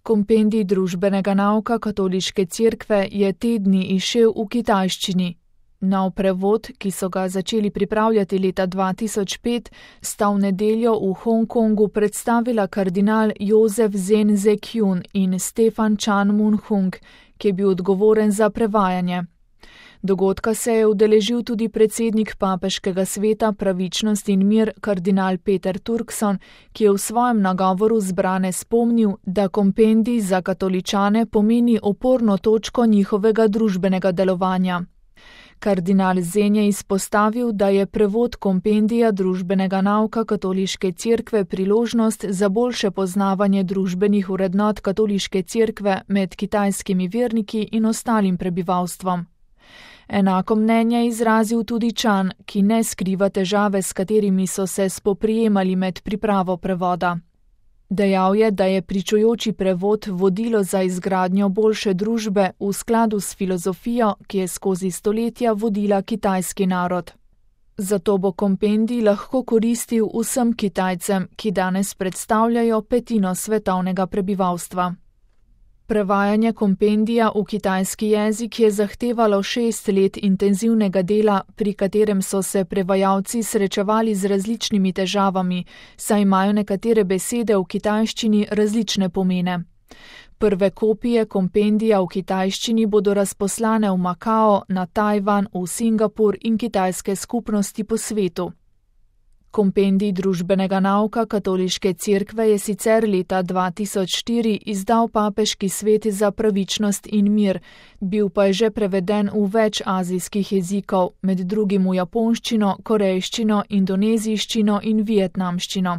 Kompendij družbenega nauka katoliške cerkve je te dni izšel v kitajščini. Nov prevod, ki so ga začeli pripravljati leta 2005, sta v nedeljo v Hongkongu predstavila kardinal Josef Zen Zekyun in Stefan Chan Mun-hung, ki je bil odgovoren za prevajanje. Dogodka se je udeležil tudi predsednik papeškega sveta Pravičnost in mir kardinal Peter Turkson, ki je v svojem nagovoru zbrane spomnil, da kompendij za katoličane pomeni oporno točko njihovega družbenega delovanja. Kardinal Zen je izpostavil, da je prevod kompendija družbenega nauka katoliške cerkve priložnost za boljše poznavanje družbenih vrednot katoliške cerkve med kitajskimi verniki in ostalim prebivalstvom. Enako mnenje je izrazil tudi Chan, ki ne skriva težave, s katerimi so se spoprijemali med pripravo prevoda. Dejal je, da je pričujoči prevod vodilo za izgradnjo boljše družbe v skladu s filozofijo, ki je skozi stoletja vodila kitajski narod. Zato bo kompendij lahko koristil vsem Kitajcem, ki danes predstavljajo petino svetovnega prebivalstva. Prevajanje kompendija v kitajski jezik je zahtevalo 6 let intenzivnega dela, pri katerem so se prevajalci srečevali z različnimi težavami, saj imajo nekatere besede v kitajščini različne pomene. Prve kopije kompendija v kitajščini bodo razposlane v Makao, na Tajvan, v Singapur in kitajske skupnosti po svetu. Kompendij družbenega nauka katoliške cerkve je sicer leta 2004 izdal papeški svet za pravičnost in mir, bil pa je že preveden v več azijskih jezikov, med drugim v japonščino, korejščino, indonezijščino in vietnamščino.